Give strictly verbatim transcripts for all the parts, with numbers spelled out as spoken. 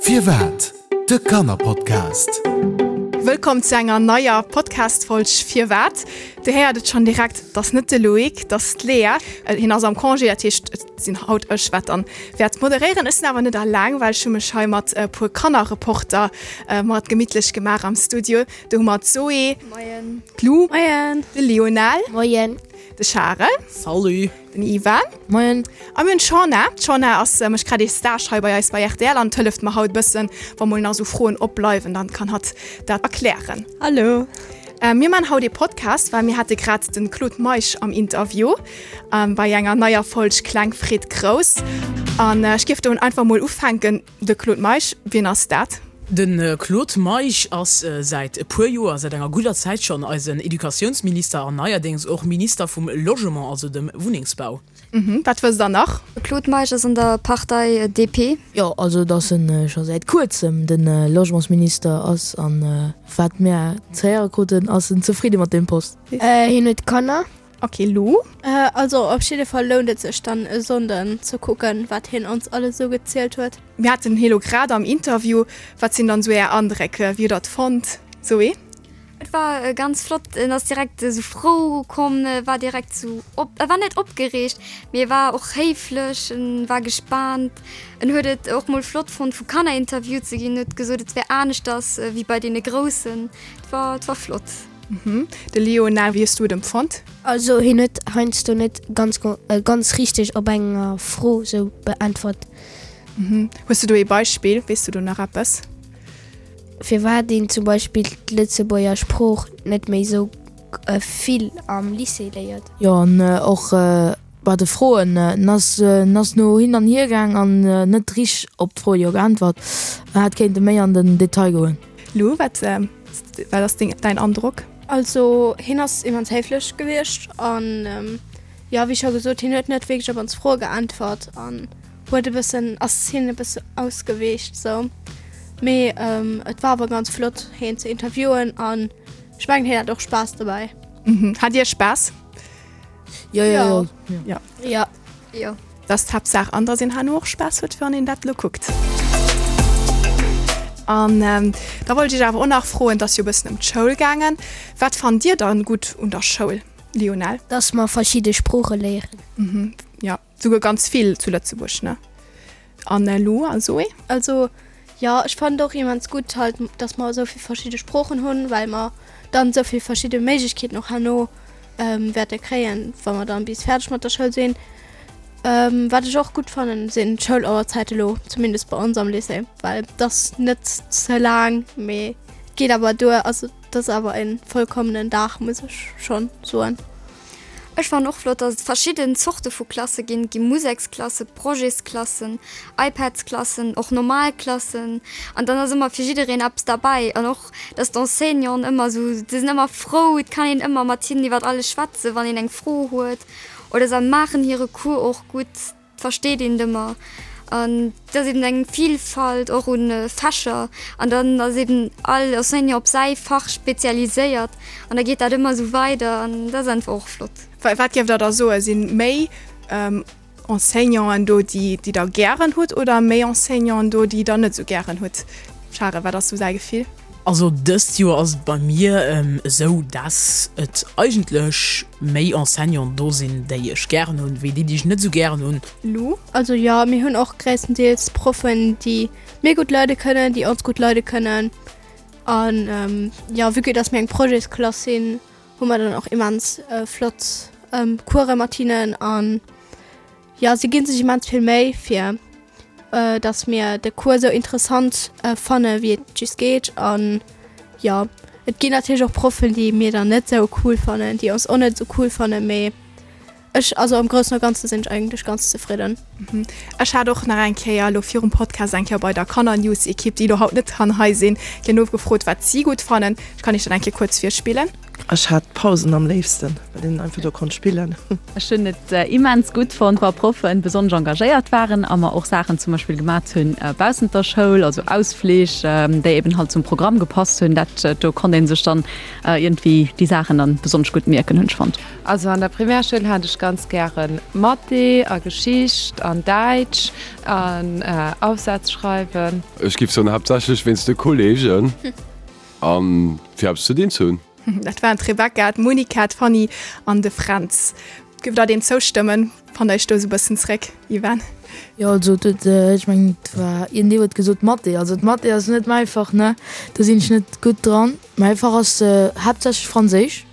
Firwat? De Kannerpodcast. Wëllkomm zu enger neier Podcast-Folg Firwat? Dir héiert et schonn direkt, 't ass net de Loïc, 't ass d'Léa. Hien ass am Congé, dat heescht et sinn haut ech, wat dann wäert moderéieren. Ech sinn awer net alleng, well ech hu mech hei mat e puer Kannerreporter mat gemittlech gemaach am Studio. Do hu mer d'Zoé. Moien. D'Lou. Moien. De Lionel. Moien. De Charel. Salut. Den Ivan. Moien. A mir hunn d'Shana. D'Shana ass, mécht grad ee Stage hei bei eis bei rtl an hëlleft mer haut bëssen, wa mol nach esou Froen opbleiwen, dann kann hatt dat erklären. Hallo. Mir man haut ee Podcast, well mir hate grad den Claude Meisch am Interview bei enger neier Folg Kleng freet Grouss. An ech géif do einfach mol ufänken, de Claude Meisch, wien ass dat? De Claude Meisch ass säit e puer Joer, säit enger gudder Zäit schonn, eisen Educatiounsminister an neierdéngs och Minister vum Logement, also dem Wunnengsbau. Wat wësst der nach? De Claude Meisch ass an der Partei D P. Jo, also dass en scho säit kuerzem de Logementsminister ass an wat mir ze héiere kruten, ass en zefridde mat deem Post. Hien huet Kanner. Ok, Lou? Also op jidde Fall lount et sech dann e Sonnden ze kucken, wat hien ons alles esou gezielt huet. Mir haten hie lo grad am Interview. Wat sinn dann esou är Andréck? Wéi hutt der et fonnt, Zoé? Et war ganz flott, en ass direkt esou frou komm, war direkt esou op, e war net opgereegt, mee e war och héiflech, en war gespaant. En huet et och mol flott fonnt vu Kanner interviewt ze ginn, huet gesot et wär aneschters wéi bei deene Groussen. Et war, et war flott. De Lionel, wéi hues du et empfonnt? Also hien huet heiansdo net ganz ganz richteg op enger Fro sou beäntwert. Hues du do ee Beispill? Weess du do nach eppes? Firwat een zum Beispill d'Lëtzebuerger Sprooch net méi sou vill am Lycée léiert. Jo, an och bei de Froen, en ass en ass no hin an hier gaang an net richteg op d'Fro jo geäntwert. En hätt kéinte méi an den Detail goen. Lou, wat wat ass deng däin Androck? Also hien ass immens héiflech gewiescht an jo, wéi scho gesot, hien huet net wierklech op ons Froe geäntwert an huet e bëssen, ass hien e bësse ausgeweecht sou. Mee et war awer ganz flott hien ze interviewen an ech mengen hien hat och Spaass dobäi. Hat Dir Spaass? Jo, jo, jo. Jo. Jo. Jo. Dat ass d'Haaptsaach an dass een herno och Spaass huet wann een dat elo kuckt. An da wollt ech iech awer och nach froen, et ass jo e bëssen ëm d'Schoul gaangen, wat fannt Dir dann gutt un der Schoul, Lionel? Dass mer verschidde Sprooche léieren. Jo, souguer ganz vill zu Lëtzebuerg, ne? An Lou a Zoé? Also jo, ech fannen et och immens gutt halt, dass mer esou vill verschidde Sproochen hunn, well mer dann esou vill verschidde Méiglechkeeten och herno wäerte kréien, wa mer dann bis fäerdeg mat der Schoul sinn. Wat ech och gutt fannen, sinn d'Schoulauerzäite lo, zumindest bei ons am Lycée, well et ass net ze laang, mee et geet awer duer. Also et ass awer e vollkommenen Dag, muss ech schonn soen. Ech fannen och flott, dass et verschidden Zorte vu Klasse ginn. Et gi Museksklassen, Projetsklassen, iPadsklassen, och normal Klassen. An dann ass ëmmer fir jiddereen eppes derbäi. An och, dass d'Enseignanten ëmmer esou, se sinn ëmmer frou, et kann een ëmmer mat hinnen iwwer alles schwätzen, wann een eng Fro huet. Oder se maachen hire Cours och gutt, et versteet een et ëmmer. An et ass eben eng Vielfalt och un Fächer an dann ass eben all Enseignant op säi Fach spezialiséiert an da geet dat ëmmer esou weider an dat ass einfach och flott. Wat géift Der da soen, si méi Enseignanten do, déi déi Der gären hutt oder méi Enseignanten do, déi Der net esou gären hutt? Charel, wat ass sou säi Gefill? Also dëst Joer ass et bei mir esou, dass et eigentlech méi Enseignanten do sinn, déi ech gären hunn, wéi déi, déi ech net esou gären hunn. Lou? Also jo, mir hunn och gréisstendeels Proffen, déi mir gutt leide kënnen, déi ons gutt leide kënnen. An jo, vue que dass mir eng Projetsklass sinn, hu mer dann och immens flott Course mat hinnen. An jo, si gi sech immens vill Méi fir dass mir de Cours sou interessant fanne wéi et just geet. An jo, et ginn natierlech och Proffen, déi mir dann net sou cool fannen, déi ons och net sou cool fannen, mee ech, also am Groussen a Ganze sinn ech eigentlech ganz zefridden. Ech hat och nach eng Kéier elo virum Podcast eng Kéier bei der Kannernews-Ekipp, déi elo haut net kann hei sinn, déi nofgefrot, wat si gutt fannen. Ech kann iech dat eng Kéier kuerz virspillen. Ech hat d'Pausen am léifsten, well een einfach do konnt spillen. Ech hunn et immens gutt fonnt, wa Proffen besonnesch engagéiert waren a mer och Saachen zum Beispill gemat hunn baussent der Schoul, also Ausflich, déi eben halt zum Programm gepasst hunn. Dat do konnt ee sech dann iergendwéi déi Saachen dann besonnesch gutt mierken, hunn ech fonnt. Also an der Primärschoul hat ech ganz gären Mathé a Geschicht an Däitsch an Aufsatz schreiwen. Ech giff soen haaptsächlech wéinst de Kollegen an fir eppes ze dinn ze hunn. Dat waren d'Rebecca, d'Monica, d'Fanny an de Fränz. Giff der deem zoustëmmen? Fannt der iech do esou e bëssen zréck, Yvan? Jo, also et huet, ech mengen et war iergendee huet gesot Mathé. Also d'Mathé ass net mäi Fach, ne, do sinn ech net gutt dran. Mäi Fach ass haaptsächlech Franséisch.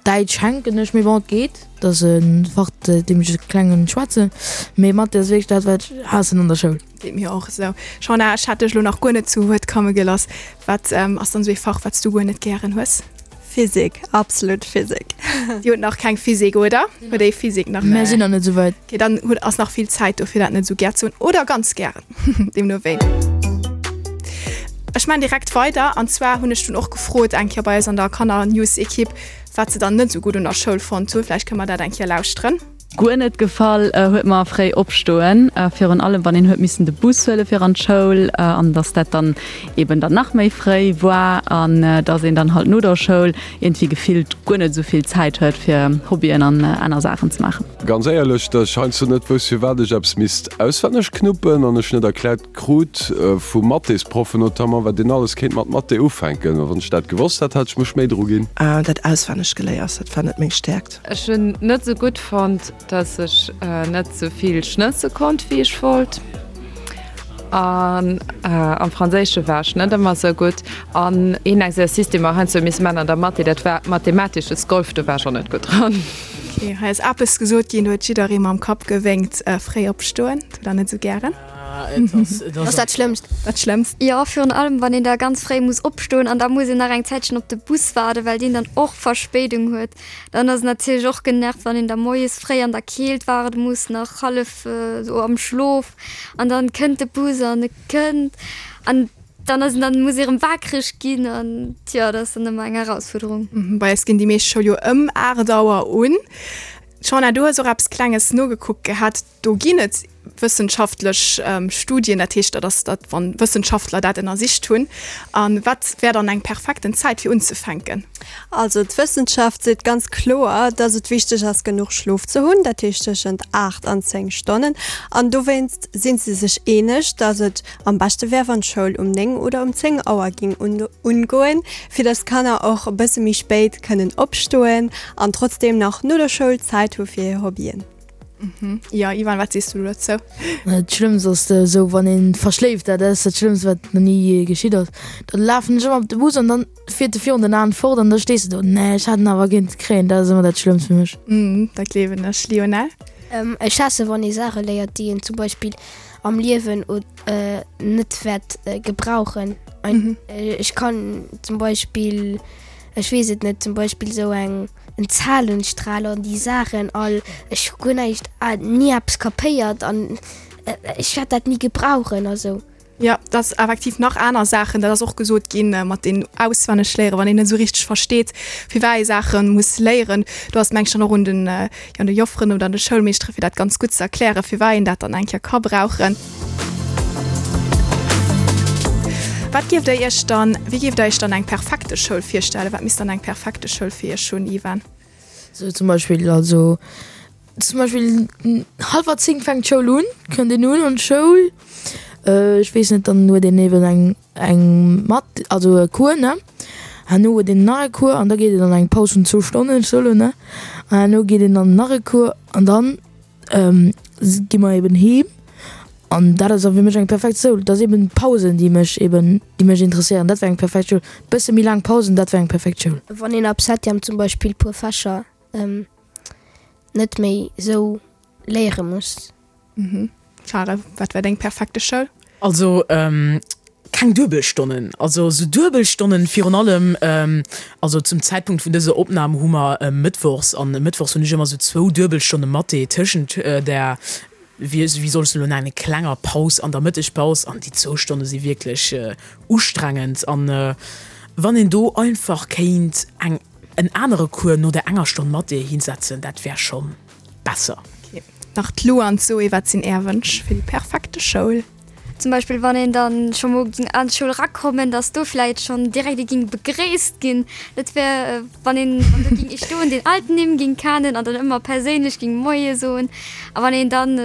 Däitsch hänken ech, mee bon, et geet. Dat ass e Fach, deem ech e klengen schwätzen. Mee Mathé ass wierklech dat, wat ech haassen an der Schoul. Geet mir och esou. Shana, ech hat dech elo nach guer net zu Wuert komme geloss. Wat ass dann esou ee Fach, wat s du guer net gären hues? Physik, absolut Physik. Dir hutt nach keng Physik, oder? Huet ee Physik nach? Mär sinn nach net esou wäit. Okay, dann hutt, ass nach vill Zäit do, fir dat net esou gär ze hunn. Oder ganz gären, deemno wéi. Ech maan direkt weider, an zwar hunn ech dunn och gefrot eng Kéier bei eis an der Kanner-News-Equipe, wat se dann net esou gutt un der Schoul fonnt hunn. Vläicht kënne mer dat eng Kéier lauschteren. Guer net gefall huet mer fréi opstoen, virun allem wann een huet missen de Bus huele fir an d'Schoul an dass dat dann eben dann nach méi fréi war an dass een dann halt no der Schoul iergendwéi gefillt guer net esou vill Zäit huet fir Hobbyen an aner Saachen ze maachen. Ganz éierlech, dass ech heiansdo net wousst firwat ech eppes misst auswenneg knuppen an ech net erkläert krut, vu Mathésproffen notamment, wat een alles kéint mat Mathé ufänken. Wann ech dat gewosst hätt, hätt ech mech méi dru ginn. Dat auswenneg Geléiers, dat war net meng Stäerkt. Ech hunn net sou gutt fonnt, dass ech net sou vill schnësse konnt wéi ech wollt. An am Franséische war ech net ëmmer sou gutt. An een Exercice, dee mer heiansdo hu misse man an der Mathé, dat war mathematisches Golf, do war ech och net gutt dran. Ok, hei ass eppes gesot ginn, do huet jidderee mam Kapp gewénkt. Fréi opstoen, hutt der net sou gären? Dat ass dat Schlëmmst. Dat Schlëmmst. Jo, virun allem wann een da ganz fréi muss opstoen an da muss een nach eng Zäitchen op de Bus waarden, well deen dann och Verspéidung huet. Dann ass et natierlech och genervt, wann een da moies fréi an der Keelt waarde muss, nach hallef esou am Schlof an dann kënnt de Bus an e kënnt an dann ass en dann muss ee rëm wakereg ginn an jo, dat ass dann ëmmer eng Erausfuerderung. Bei eis ginn déi meescht Schoul jo ëm aacht Auer un. Shauna, du hues och eppes Klenges nogekuckt gehat. Do ginn et wëssenschaftlech Studien, dat heescht, dat ass dat, wann Wëssenschaftler dat ënnersicht hunn. A wat wär dann eng perfekten Zäit fir unzefänken? Also d'Wëssenschaft seet ganz kloer, dass et wichteg ass genuch Schlof ze hunn, dat heescht tëschent aacht an zéng Stonnen. An dowéinst si se sech eeneg, dass et am beschte wär, wann d'Schoul um néng oder um zéng Auer ging ungoen, fir dass d'Kanner och e bësse méi spéit kënnen opstoen an trotzdeem nach no der Schoul Zäit hu fir hir Hobbyen. Jo, Ivan, wat sees du dozou? Dat Schlëmmst ass esou, wann ee verschléift, dat ass dat Schlëmmst, wat nach ni geschitt ass. Da lafen ech ëmmer op de Bus an dann fiert e virun den Aen fort an da stees de do, Nee, ech hat en awer kéinte kréien. Dat ass ëmmer dat Schlëmmst fir mech. Dat gleewen ech. Lionel? Ech haasse wann ee Saache léiert, déi een zum Beispill am Liewen net wäert gebrauchen. Ech kann zum Beispill, ech weess et net, zum Beispill esou eng en Zahlenstrahler an déi Saachen all, ech hu guer näischt, ni eppes kapéiert an ech wäert dat ni gebrauchen a sou. Jo, dat ass effektiv nach aner Saachen, dat ass och gesot ginn, mat den auswenneg léieren, wann een net esou richteg versteet, firwat ee Saache muss léieren. Do ass et meng ech dann och un den, jo, un de Jofferen oder un de Schoulmeeschtere fir dat ganz gutt ze erklären, firwat een dat dann eng Kéier ka brauchen. Wat géift der Iech dann, wéi géift der Iech dann eng perfekte Schoul virstellen? Wat misst dann eng perfekte Schoul fir Iech hunn, Ivan? Sou zum Beispill, also zum Beispill hallwer zéng fänkt d'Schoul un, kënnt een un an d'Schoul, ech weess net, dann huet een eben eng eng Mat, also e Cours, ne, herno huet een nach e Cours an da geet een an eng Paus vun zwou Stonnen, ech soe lo, ne, an herno geet een an nach e Cours an dann gi mer eben heem an dat ass da fir mech eng perfekt Schoul. Dat ass eben d'Pausen, déi mech eben, déi mech interesséieren. Dat wär eng perfekt Schoul. Bësse méi laang Pausen, dat wär eng perfekt Schoul. Wann een ab Septième zum Beispill puer Fächer net méi esou léiere muss. Charel, wat wär deng perfekte Schoul? Also keng Duebelstonnen, also esou Duebelstonnen virun allem, also zum Zäitpunkt vun dëser Opnam hu mer mëttwochs, an mëttwochs hunn ech ëmmer esou zwou Duebelstonne Mathé tëschent der, wéi soll ech se elo nennen, klenger Paus an der Mëttegpaus, an déi zwou Stonne si wierklech ustrengend. An wann een do einfach kéint eng en anere Cours no der enger Stonn Mathé hinsetzen, dat wär schonn besser. Ok. Nach d'Lou an d'Zoé, wat sinn Är Wënsch fir déi perfekte Schoul? Zum Beispill wann een dann scho mol ging an d'Schoul rakommen, dass do vläit schonn direkt ee ging begréisst ginn. Dat wär wann een, wann do ging ee stoen, deen all d'Nimm ging kennen an dann ëmmer perséinlech ging Moie soen. A wann een dann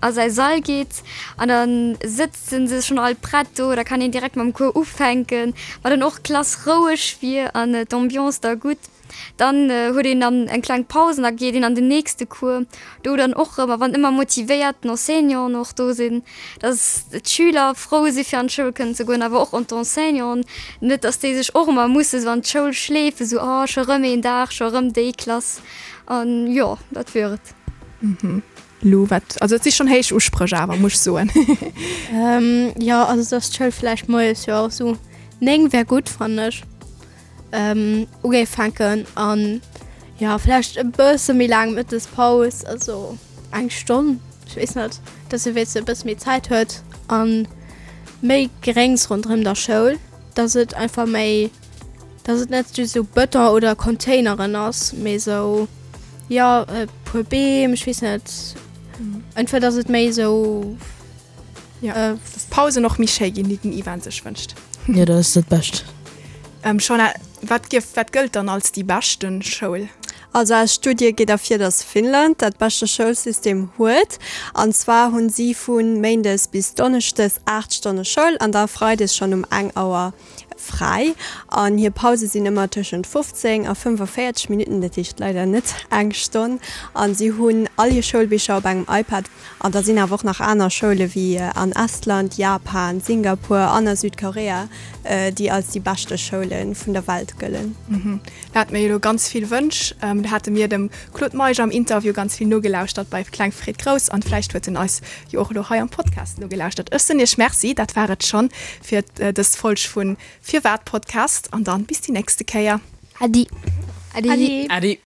a säi Sall geet an da sëtzen se schonn all prett do, da kann een direkt mam Cours ufänken, wa dann och d'Klass roueg wier an d'Ambiance da gutt. Dann huet een dann eng kleng Paus an da geet een an den nächste Cours, do dann och erëm, a wann ëmmer motivéiert Enseignanten och do sinn, dass d'Schüler frou si fir an d'Schoul kënnen ze goen, awer och an d'Enseignanten, net dass déi sech och ëmmer musse sou an d'Schoul schleefen, sou oh scho rëm een Dag, scho rëm déi Klass an jo, dat wier et. Lou, wat, also et si schonn héich Uspréch awer, muss ech soen. Jo, also dass d'Schoul vläicht moies, jo sou néng wär gutt, fannen ech. Ugéif fänken an jo vläicht e bësse méi laang Mëttespaus, also eng Stonn, ech weess net, dass e wéinstens e bësse méi Zäit huet an méi Gréngs ronderëm der Schoul, dass et einfach méi, dass et net just esou Bëton oder Containeren ass, mee esou jo e puer Beem, ech weess net, einfach dass et méi esou. Jo, dass d'Pausen och méi schéi ginn, déi den Ivan sech wënscht. Jo, dat ass dat Bescht. Shona, wat giff, wat gëllt dann als déi beschten Schoul? Also aus Studie geet ervir, dass Finnland dat beschte Schoulsystem huet. An zwar hunn si vu Méindes bis Donneschdes aacht Stonne Schoul an da Freides schonn um eng Auer fräi. An hir Pause sinn ëmmer tëschent fofzéng a fënnefenvéierzeg Minutten, dat heescht leider net eng Stonn. An si hunn all hir Schoulbicher op engem iPad. An da sinn awer och nach aner Schoule wéi an Estland, Japan, Singapur an a Südkorea, déi als déi beschte Schoule vun der Welt gëllen. Do hate mir jo elo ganz vill Wënsch. Do hate mir dem Claude Meisch am Interview ganz vill nogelauschtert bei Kleng freet grouss an vläicht huet en eis jo och elo hei am Podcast nogelauschtert. Ech soen Iech Merci, dat war et schonn fir dës Folg vun Firwat Podcast an dann bis déi nächste Kéier. Äddi. Äddi. Äddi.